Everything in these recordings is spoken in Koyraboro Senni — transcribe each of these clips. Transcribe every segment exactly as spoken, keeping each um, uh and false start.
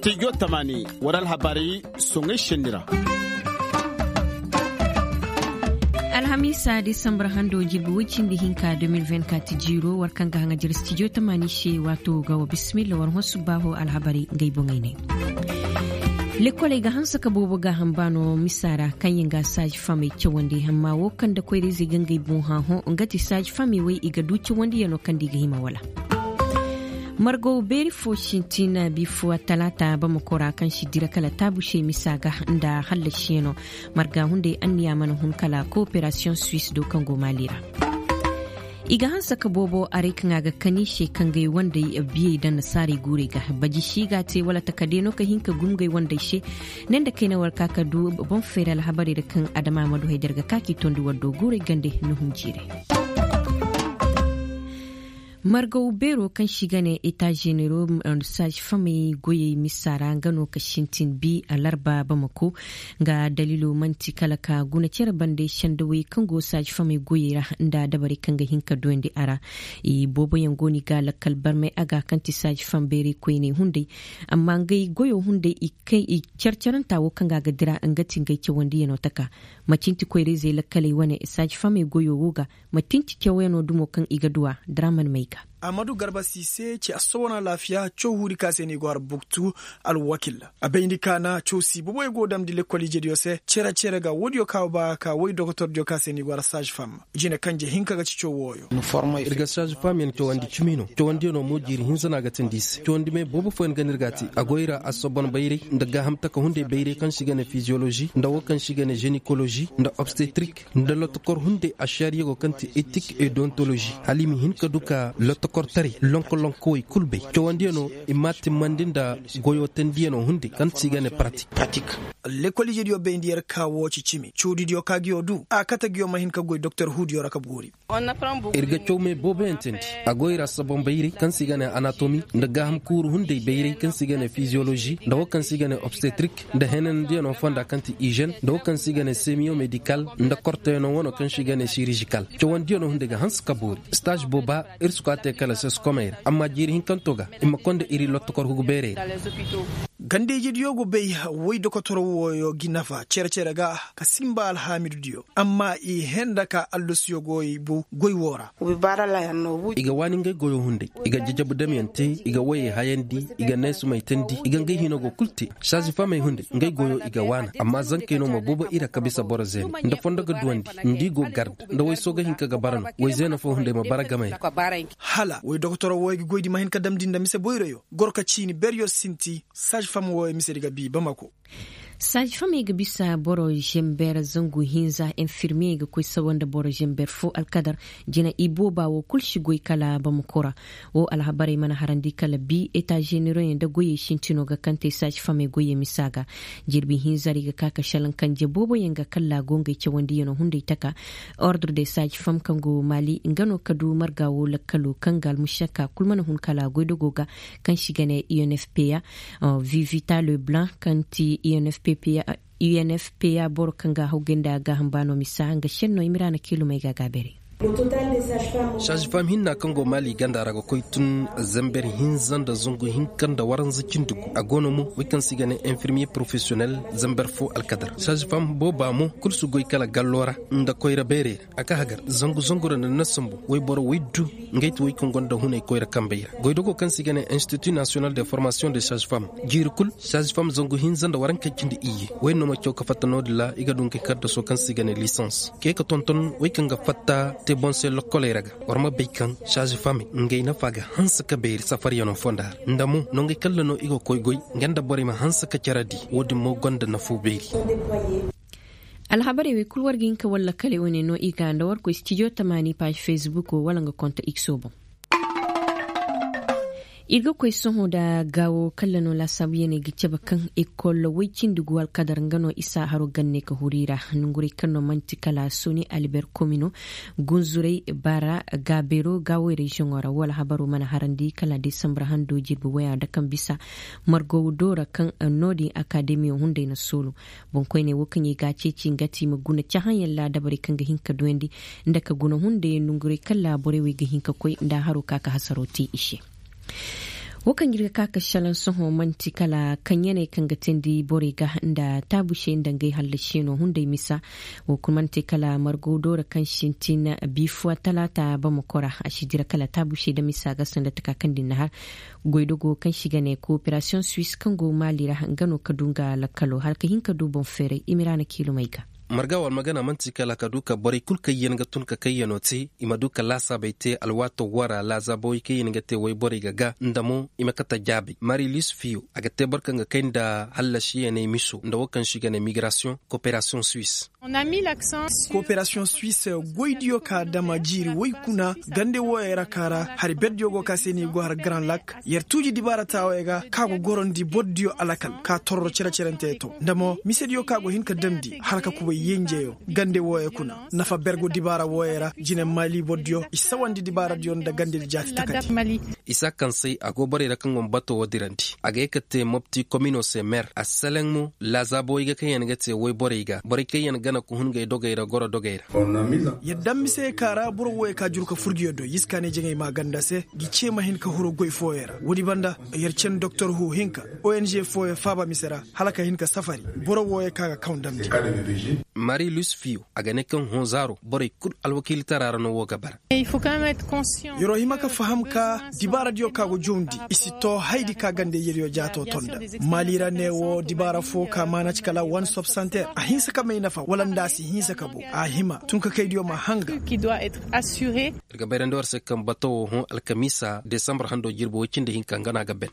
Tijo tamaani war alhabaray soŋay senni ra. Alhamiisa disambar hando jirbi woy cindi hinka de mil vingt kat jiiro war kaŋ ga haŋa jira stijo tamaani se waato ga wa bisimilla war hõ subbaaho alhabaray ngey boŋey ne. Lekoley ga hanse ka boobo gaaham baano misa ra kaŋ yaŋ ga saaji famey cawandi amma wo kaŋ nda koyra-izey ga ngey boŋ hã hõ nga ti saaji famey wey i ga du cawandiyano kaŋ nda i ga hima wala. Margo beeri fo sintin biifuwa talaata bamako ra kaŋ si dira kala taabu se misa ga nda hallasiyano. Marga hunday anniya mana hun kala kooperasiyoŋ suwis do kaŋ go maali ra. I ga hanse ka boobo aray kaŋ a ga kani se kaŋ ga ay wanday biyey da nasaarey guurey ga baji si ga a te wala takadey no ka hin ka gum ga ay wanday se. Ne nda kayna war ka ka du boŋ feera alhabarey ra kaŋ adama ma du haydar ga ka k'i tondi war do guurey gande ni hun jiirey. Margaw beero kaŋ si ga ne eta ženero, saazi famey goyey misa ra nga no ka sintin bi alarba bamako. Nga daliilo man'ti kala ka guna cere bande sendawey kaŋ go saazi famey goyey ra nda dabarey kaŋ ga hin ka duyandi a ra. Booboyaŋ go no i ga lakkal barmay a ga kaŋ ti saazi fam bayray koyney hunday. Amma ngey goyo hunday i cere-cerenta wo kaŋ ga a ga dira nga ti ngey cawandiyano taka. Macin ti koyra-izey lakkaley wane saazi famey goyo wo ga. Macin ti cawyanoo dumo kaŋ i ga du a diraman may ga. Amadu garba si se ci assobon alaafiya caw huudi ka se no i go har buktu. Alwakil a bayndi ka na caw si boboy go damndi lekkol ijediyo se cere-cere ga woodiyo ka ba ka woy dokotordiyo ka se no i go har saazi fam. Jine kanje hinka ga ci caw wooyo. Ir ga saazi fam yaŋ cawandi cimi no cawandiyanoo mo jiiri hinza no a ga tindi i se cawandi me boobo fooyaŋ ga no ir ga a te a go ir ra assobon bayray nda gaaham taka hunday bayray kaŋ se i ga ne fiziyolozi nda woo kaŋ se i ga ne zenikolozi nda obstetrik. Nda lotokor hunday ašariyago kaŋ ti etik e dontolozi hala i ma hin ka du ka lotokortaray lonko-lonkowey kul bay cawandiyanoo i m'a timmandi nda goyoo tendiyanoo hunday kaŋ se i ga ne paratik. Lekol ijediyo bayndi yer ka woo ci cimi cawdidiyo ka nguyo du a kate nguyo ma hin ka goy doktor huudiyo ra ka boori. Ir ga caw me booboyaŋ teendi a go ir assobon bayray kaŋ se i ga ne anatomi nda gaaham kuuru hunday bayray kaŋ se i ga ne fiziyolozi nda woo kaŋ se i ga ne obstetrik nda henandiyanoo fonda kaŋ ti izen nda woo kaŋ se i ga ne semiyomedikal nda kortoyanoo wanoo kaŋ se i ga ne sirijikal. Cawandiyanoo hunday ga hanse ka boori staaž booba. Ir si koy a te kala seskomey ra amma jiiri hinkanto ga i ma koy nda ir lotokor hugu beerey ra. Ganda-ijediyo go bay woy dokotoro wooyo gi nafa cere-cere ga ka sinba alhaamidudiyo amma i henda ka allasuyo goy woo ra. I ga waani ngey goyo hunday i ga jajabu damyaŋ te i ga woyey hayandi i ga neesumay teendi i ga ngey hino go kul te. Saazi famey hunday ngey goyo i ga waana amma zankey no ma boobo ir a ka bisa boro zeene nda fondo ga duwandi nda i go garde nda woy soo ga hin ka ga bara no woy zeene foo hunday ma bara gamey ra. Hala woy dokotoro wooyo ga goydi ma hin ka damndi nda mise boyroyo goro ka ciini beryo sinti saazi fam wooyo misedi ga bii bamako. Saazi famey ga bisa boro zember zangu hinza enfirmiyey ga koy sawa nda boro zember foo alkadar. Jina ibooba woo kul si goy kala bamako ra. Woo alhabarey mana harandi kala bii eta ženeroyaŋ nda goyey sintinoo ga kaŋ te saazi famey goyey misa ga. Jirbi hinzarey ga ka ka šelaŋ kanje booboyaŋ ga kalla go ngey cawandiyanoo hunday taka. Ordre de saazi fam kaŋ go maali nga no ka du marga woo lakkaloo kaŋ ga almušaka kul mana hun kala goydogoo ga. Kaŋ si ga ne unfpa vivita leblanc kaŋ ti unfpa boro kaŋ ga a haw gay nda gaaham baano misa nga šennoo imiraana kiilumey ga a gaabeerey. Saazi fam hinna kaŋ go maali ganda ra ga koy tun zember hinza nda zangu hinka nda waranza cindi gu a go no mo wey kaŋ se i ga ne enfirmiye porofesiyonel. Zember foo alkadar saazi fam booba mo kul si goy kala gallo ra nda koyra beerey ra. A ka hagar zangu zangu ra nda na sambu woy boro woy du. Ngey ti woy kaŋ gonda hunay koyra kambey ra goydogoo kaŋ se i ga ne institut nasiyonal de formasiyoŋ de saazi fam. Jiiri kul saazi fam zangu hinza nda warankey cindi iyye woy no ma caw ka fatta no-din ra i ga du ngey kaddasoo kaŋ se i ga ne lisans kee ka tonton woy kaŋ ga fatta te boŋ se lokkoley ra ga. War ma bay kaŋ saazi famey ngey nafa ga hanse ka beeri safaryanoo fonda ra nda mo nongey kalla no i ga koy goy. Nga nda borey ma hanse ka care di woo din mo gonda nafoo beeri. Alhabarey wey kul war ga hin ka war lakkaley wane no i ga nda war koy stijo tamaani paaž fesbukoo wala nga konta ikso boŋ. Ir ga koy sohõ nda gaawo kalla no laasaabuyaney ga cabe kaŋ ekol woy cindi gu alkadar nga no isa haro ganne ka huru i ra. Nongurey kaŋ no man'ti kala soni alber komino gunzurey baara gaabeero gaawey reziyoŋo ra woo alhabaroo mana harandi kala desambar hando jirbi woya nda kaŋ bisa margow doora kaŋ no-din akademiyo hunday na soolu. Boŋkoyney woo kaŋ i ga a ceeci nga ti i ma guna cahãyaŋ ra dabarey kaŋ ga hin ka duyandi nda ka guna hunday nongurey kaŋ ra borey wey ga hin ka koy nda haroo ka ka hasaroo te i se. Wo kaŋ ir ga ka ka salaŋ sohõ man'ti kala kaŋyaney kaŋ ga teendi borey ga nda taabusey nda ngey hallasiyanoo hunday misa. Wo kul man'ti kala margo doora kaŋ sintin biifuwa talaata bamakora a si dira kala taabusey nda misa ga sanda taka kaŋ din na har. Goydogo kaŋ si ga ne kooperasiyoŋ suis kaŋ go maali ra nga no ka du nga lakkalo hala ka hin ka du boŋ feeray imiraana kiilumey ga. Marga war magana man'ti kala ka du ka borey kul kaŋ yaŋ ga tun ka kayyanoo te i ma du ka laasaabey te alwaatoo woo ra laazaabawey kaŋ yaŋ ga te woyborey ga ga nda mo i ma kate jaabey mari lis fiyo a ga te boro kaŋ ga kay nda hallasiyaney miso nda woo kaŋ se i ga ne migirasiyoŋ kooperasiyoŋ suis. Kooperasiyoŋ suis goydiyo ka dama jiiri woy kuna gande wooyey ra ka ra hari berdiyo go ka se no i go har garan lak. Yer tuuji dibaara taawey ga ka go gorandi bordiyo alakal ka torro cere-cerante to nda mo misediyo ka go hin ka damndi hala ka kubay yenjeyo gande wooyey kuna. Nafa bergo dibaara wooyey ra jine maali bordiyo i sawandi dibaaradiyo nda gandedi jaati takati. Isa kaŋ se a go borey ra kaŋ go ma bato woo dirandi a ga ye ka te mopti komino se mer a seleŋ mo laazaabawey ga kaŋ yaŋ ga te woyborey ga borey kaŋ yaŋ gana ka hun ngey dogey ra goro dogey ra. Yadda mise ka ra boro wooyey ka juru ka furgiyo do yiskaaney jaŋey maa ganda se. Gi ce ma hin ka huru goy fooyey ra woodi banda yer cen doktor huu hinka ong fooyey faaba mise ra hala ka hin ka safari boro wooyey ka ga kaw damndi. Mari lusfiyo a ga ne kaŋ hõ zaaro borey kul alwakiilitara ra no woo ga bara. Yer'o hima ka faham ka dibaaradiyo ka go jawndi i si too haydi ka gande yeryo jaato tonda. Maali ra ne woo dibaara foo ka maana ci kala wan sobsanteer a hinsa ka may nafa wala nda a si hinsa ka bow a hima tunkakaydiyo ma hanga. Ir ga bayrandi war se kaŋ bato woo hõ alkamiisa desambar hando jirbi woy cindi hinka nga no a ga ben.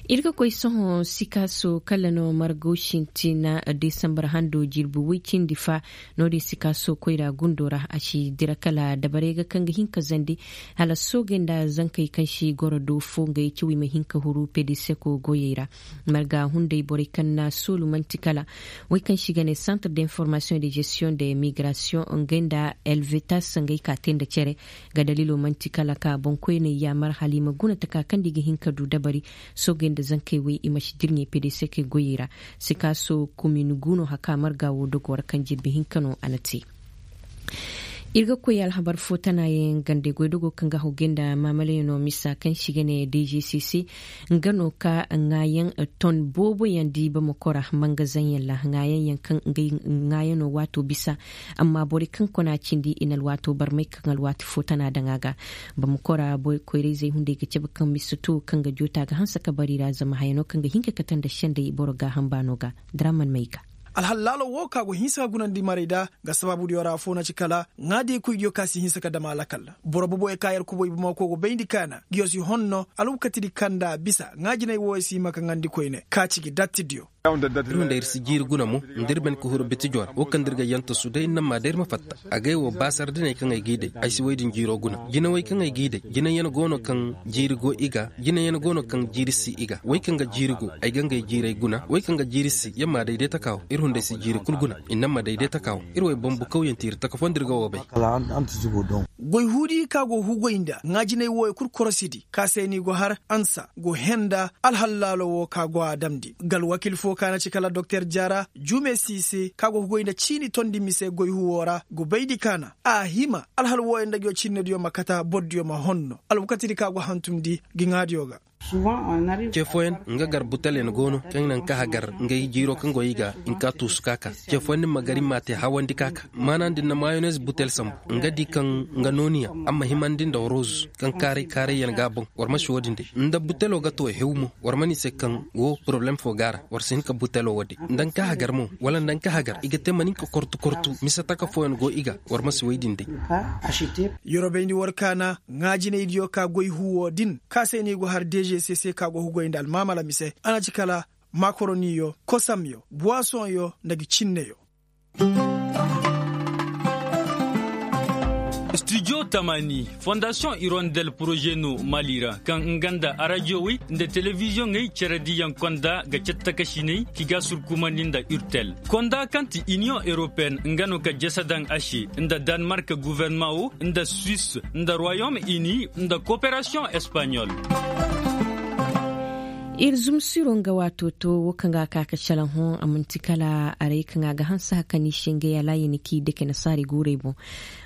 Ir ga koy sohõ sikaaso kala no margo sintina desambar hando jirbi woy cindi fa. No-din sikaaso koyra gundo ra a si dira kala dabarey ga kaŋ ga hin ka zandi hala soogey nda zankey kaŋ si goro do fo ngey cawey ma hin ka huru pediseko goyey ra. Marga hunday borey kaŋ na soolu man'ti kala wey kaŋ si ga ne santre d'informasiyoŋ de gestiyoŋ de migrasiyoŋ ngey nda elvetas ngey ka te nda cere. Ga daliilo man'ti kala ka boŋkoyney yaamar hala i ma guna taka kaŋ nda i ga hin ka du dabari. Soogey nda zankey wey i ma si dirɲey pedeseke goyey ra. Sikaaso kumin guuno haka marga woo dogo ra kaŋ jirbi hinka no a na te. Ir ga koy alhabar foo tanaayaŋ gande goydogo kaŋ ga hawgay nda maamalayaŋo misa kaŋ si ga ne dgcc. Nga no ka ŋaayaŋ ton booboyaŋ di bamako ra mangazaŋyaŋ ra ŋaayaŋ yaŋ kaŋ ngey ŋaayaŋo waato bisa. Amma borey kaŋ kona cindi i na alwaato barmay kaŋ alwaati foo tana daŋ a ga. Bamako ra koyrayzey hunday ga cabe kaŋ misa to kaŋ ga joota ga hanse ka bari ra zama hayano kaŋ ga hin ka kate nda sendey boro gaaham baano ga. Draman may ga. Alhal laalo wo ka go hinsa ka gunandi maray da. Nga sabaabudiyo ra afo na ci kala ŋaadiyey koydiyo ka si hinsa ka dam a lakal. Boro boboyo ka yer kubay bamako go bayndi kaana ngiyo si honno alwakatidi kaŋ nda a bisa ŋaajinay woyo si hima ka ŋaandi koyne ka ci gi dattidiyo. Ir hunda ir si jiiri guna mo nda ir ben ka huru bitijo ra wo kaŋ nda ir ga yantasu day ir na maa day ir ma fatta. Agay wo baasar diney kaŋ ay g'i day ay si woy din jiiro guna jinawey kaŋ ay g'i day jinayaŋ go no kaŋ jiiri go i ga jinayaŋ go no kaŋ jiiri si i ga wey kaŋ ga jiiri go ay ga ngey jiirey guna wey kaŋ ga jiiri si ya maa day day taka wo ir hunday si jiiri kul guna i na maa day day taka wo. Ir wey bambu kawyanti ir taka foo nda ir ga wo bay. Goy huudi ka go hugoy nda ŋaajinay woyo kul korosidi ka se ni go har ansa go henda alhal laalo wo ka go a damndi ga alwakil foo ka na ci kala doktor jaara jume siise ka go hugoy nda ciini tondi mise goy huwo ra go bayndi kaana a hima alhal woyo nda ngiyo cinnediyo ma kata bordiyo ma honno alwakatidi ka go hantumndi gi ŋaadiyo ga. Ce fooyaŋ nga gar butelyaŋ go no kaŋ naŋ ka hagar ngey jiiro kaŋ go i ga i ma ka tuusu ka ka ce fooyaŋ ni ma gar i ma a te hawandi ka ka maana din na mayones butel sambu nga di kaŋ nga nooniyaŋ a ma himandi nda roz kaŋ kaaray kaarayyaŋ ga a boŋ war ma si wo-din day nda butelo ga to hew mo war mana i se kaŋ wo poroblem fo go a ra war si hin ka butelo wo day nda nga ka hagar mo wala nda nga ka hagar i ga te mana hin ka kortu kortu mise taka fooyaŋ go i ga war ma si woy din day. Yeroo bayndi war kaana ŋaajinaydiyo ka goy huwo din ka se no i go har dgcc ka go hugoy nda almaamala mise a na ci kala makoroniyo kosamyo buwasoŋyo nda gi cinneyo. Studio tamani fondasiyoŋ irondel poroze no mali ra kaŋ nga nda arajowey nda telebiziyoŋey cere diyaŋ konda ga cattakasiney ki ga surkumandi nda urtel konda kaŋ ti iniyoŋ europeen nga no ka jese daŋ a se nda danmark guwernama wo nda suis nda royom ini nda koperasiyoŋ espaɲol. Ir zumsiro nga waato to wo kaŋ ga a ka ka salaŋ hõ a manti kala aray kaŋ a ga hanse haka ni se ngey alaayi ni k'i dake nasaari guurey boŋ.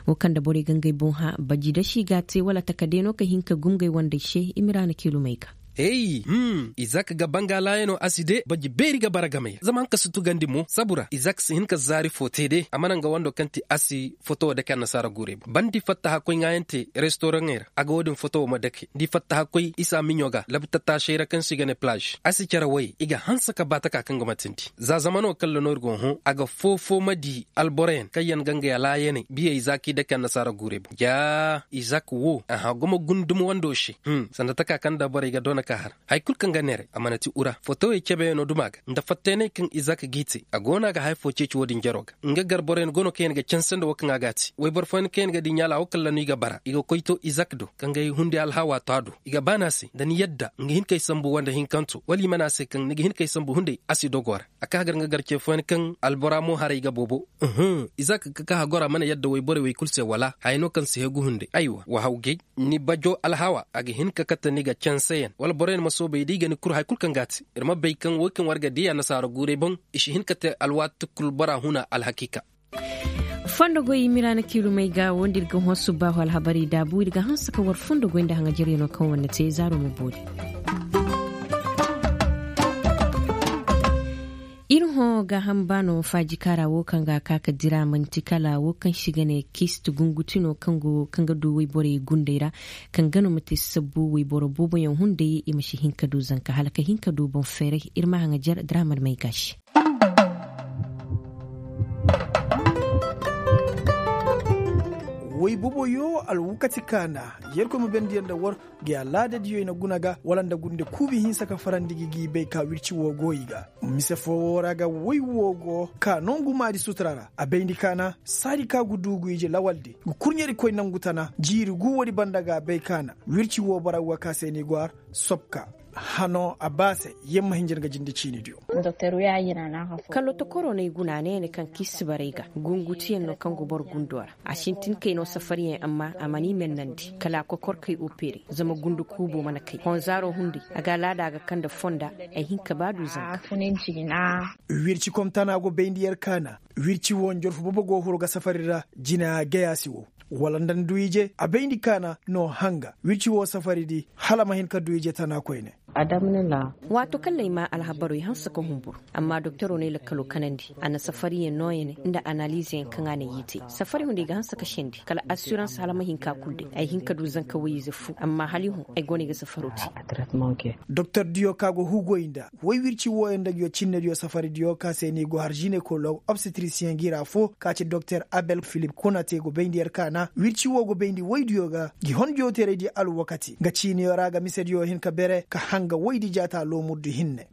Wo kaŋ nda borey ga ngey boŋ hã baji dasi ga a te wala takadey no ka hin ka gum ngey wandey se i ma ra na kiilumey ga. Ey. Izak ga banga laayanoo a si de baji beeri ga bara game ya zama hanka si tugandi mo sabu ra izak si hin ka zaari foo te de a mana nga wando kaŋ ti a si foto wo dake annasaara guurey boŋ ba ni di fattaha koy ŋaayaŋ te restoraŋey ra a ga wo-din foto wo ma dake ni di fattaha koy isa miɲo ga labta taasey ra kaŋ se i ga ne palaaž a si care woyey i ga hanse ka ba taka kaŋ ga matindi za zamano kaŋ ra no ir go hõ a ga foo-foo ma di alboroyaŋ kaŋ yaŋ ga ngey a laayaney biyey za kaŋ i dake annasaara guurey boŋ jaa izak wo a hã gumo gundum wando se sanda taka kaŋ nda borey ga doona ka har haya kul kaŋ ga neeray a mana ti ura fotowey cebeyaŋo duma ga nda fattayaney kaŋ izak g'i te a go no a ga haya foo ceeci wo-din jaro ga nga gar boroyaŋ go no kaŋ yaŋ ga canse nda wo kaŋ a g'a te woyboro fooyaŋ kaŋ yaŋ ga di ɲaala wo kalla no i ga bara i ga koy to izak do ka ngay hundi alhawa to a do i ga baana se nda ni yadda nga hin kay sambu wanda hinkanto wala i mana se kaŋ ni ga hin kay sambu hunday a si dogo ra a ka gar nga gar ce fooyaŋ kaŋ albora mo haray ga boobo izak ka ka hagora mana yadda woyborey wey kul se wala haya no kaŋ si hegu hunday aywa wa haw gay ni bajo alhawa a ga hin ka kate ni ga canseyaŋ wala boroyaŋ ma soobay da i ga ni kur haya kul kaŋ ga a te ir ma bay kaŋ wo kaŋ war ga diya nasaara guuray boŋ i si hin ka te alwaati kul bora huna alhakiika. Fondo goy miraana kiilumey ga wo nda ir ga hõ subbaahu alhabarey daabu ir ga hanse ka war fondo goy nda haŋajaryanoo kaŋ war na te zaaro ma boori. Ir hõ gaaham baano faajikaara wo kaŋ ga a ka ka dira man'ti kala wo kaŋ se i ga ne kiisti gunguti no kaŋ ga du woyborey gundey ra kaŋ gano ma te sabbu woyboro booboyaŋ hunday i ma si hin ka du zanka hala ka hin ka du boŋ feeray ir ma haŋajar diraamar may gaasi. Woy boboyo alwakati kaana yerkoy ma bendiyaŋ nda war gi alaadadiyo i na guna ga wala nda gunde kuubi hinsa ka farandi gi gi bay ka wirci woo go i ga. Mise foo woo ra ga woy woo go ka nongu maadi sutura ra a bayndi kaana saadi ka gu duugu ije lawaldi gu kurɲeri koy nongu tana jiiri gu woodi banda ga a bay kaana wirci woo bara woo ka se ni go har sobka. Hano a ba se yamma hinjir ga jinde ciinidiyo. Kallo tokoro no ay guna ne ne kaŋ kiisibarey ga gungutiyaŋ no kaŋ go boro gundo ra a sintin kay no safariyaŋ amma a mana i mennandi kala a kokor kay opere zama gundu kuubo mana kay honzaaro hunday a ga alaada ga kaŋ nda fonda ay hin ka ba du zanka. Wirci komtana go bayndi yer kaana wirci wo njorfu bobo go huru ga safari ra jina gayasi wo wala nda ni du ije a bayndi kaana no hanga wirci wo safari di hala ma hin ka du ije tana koyne. Waato kaŋ na ay maa alhabarey hanse ka humburu amma doktoroo na ay lakkaloo kanandi a na safariyaŋ nooyaŋ nda analiizeyaŋ kaŋ a na ay i te safari hunday ga hanse ka sendi kala assurans hala ma hin ka kul day ay hin ka du zanka woy-ize fu amma hala i hõ ay go no ay ga safaroo te. Doktordiyo ka go hugoy nda woy wirci wooyaŋ nda nguyo cinnediyo safaridiyo ka se no i go har ginekoloog obstetrisiyeŋ gira foo ka ci doktor abel filip konate go bayndi yer kaana wirci woo go bayndi woydiyo ga ngi hondiyo teeraydiyo alwakati nga ciiniyo ra ga misediyo hin ka bere ka hanga woydi jaata loomurdi hinne.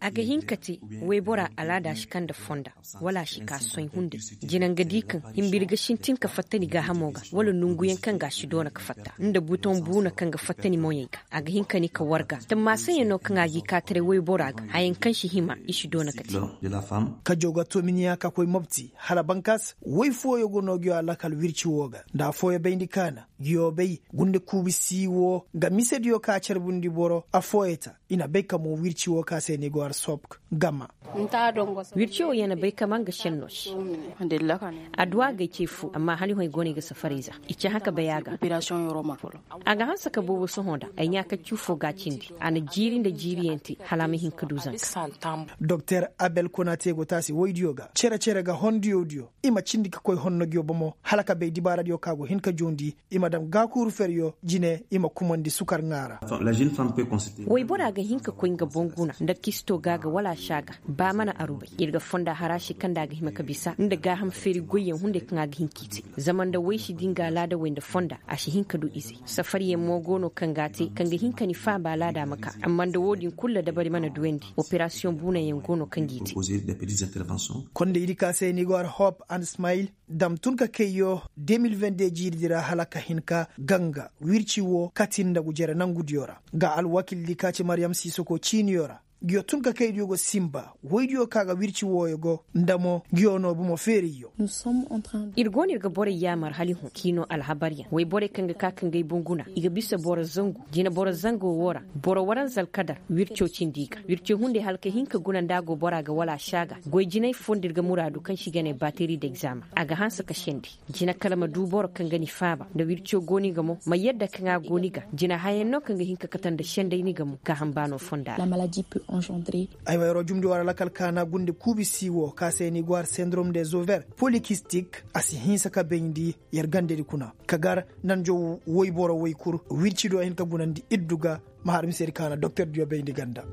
A ga hin ka te woyboraa alaada si kaŋ nda fonda wala a si ka soy hunday jina nga di kaŋ himbiri ga sintin ka fatta ni gaahamo ga wala nonguyaŋ kaŋ ga a si doona ka fatta nda butoŋ buuna kaŋ ga fatta ni moyey ga a ga hin ka ni ka warga tammaasayyaŋ no kaŋ a g'i kaataray woyboraa ga hayaŋ kaŋ si hima i si doona ka te. Kajo ga tominiya ka koy mopti hala bankas woy fooyo go no nguyo alakal wirci woo ga nda affooyo bayndi kaana nguyo bay gunde kuubi sii woo nga misediyo ka carbundi boro affooyo ta i na bay ka mo wirci woo ka se ni go har sopk gama. Wirci woo ya na bay ka ma nga senno se. Adduwa gay ce fu amma hala i hõ ay go no ay ga safarey za i ci hã ka bay a ga. A ga hanse ka boobo sohõ nda ay ɲaakaccu foo ga a cindi a na jiiri nda jiiriyaŋ te hala a ma hin ka du zanka. Doktor abel konate go taasi woydiyo ga cere-cere ga hondiyodiyo i ma cindi ka koy honno nguyo bomo hala ka bay dibaaradiyo ka go hin ka joondi i ma dam gaakuuru feryo jine i ma kumandi sukar ŋaa ra. Woyboraa ga hin ka koy nga boŋ guna nda kisto ga ga wala a si a ga ba mana arubay ir ga fonda hara se kaŋ nda a ga hima ka bisa nda gaaham feeri goyyaŋ hunday kaŋ a ga hin k'i te zama nda woy si di nga alaadawey nda fonda a si hin ka du izey safariyaŋ mo go no kaŋ ga a te kaŋ ga hin ka ni faaba alaada ma ka amma nda wo-din kul dabari mana duyandi operasiyoŋ buunayaŋ go no kaŋ g'i te. Kondaydi ka se ni go har hop and smayil dam tun ka kayyo de mil vende jiiridi ra hala ka hin ka ganga wirci wo kati nda gujere nangudiyo ra nga alwakildi ka ci maryam sisoko ciiniyo ra. Ngiyo tun ka kaydiyo go sinba woydiyo ka ga wirci wooyo go nda mo ngiyo no bomo feerayyo. Ir go no ir ga borey yaamar hala i hõ k'i no alhabaryaŋ woyborey kaŋ ga ka ka ngey bunguna i ga bisa boro zangu jineboro zango woo ra. Boro waranza alkadar wirco cindi i ga wirco hunday hala ka hin ka guna nda a go bora ga wala a si a ga goy jinay foo nda ir ga muraadu kaŋ se i ga ne bateri d'examen a ga hanse ka sendi. Jina kala ma du boro kaŋ ga ni faaba nda wirco go ni ga mo ma yadda kaŋ a go ni ga jina hayaŋ no kaŋ ga hin ka kate nda senday ni ga mo gaaham baano fonda ra. Ay ma yaroo jumndi war alakal kaana gundi kuubi sii woo ka se ni go har sendrom des overs polikistik a si hinsa ka bayndi yer gandadi kuna ka gar nanjo woyboro woy kul wirci do a hin ka gunandi iddu ga. Ma har mise ir kaana doktor diyo bayndi ganda.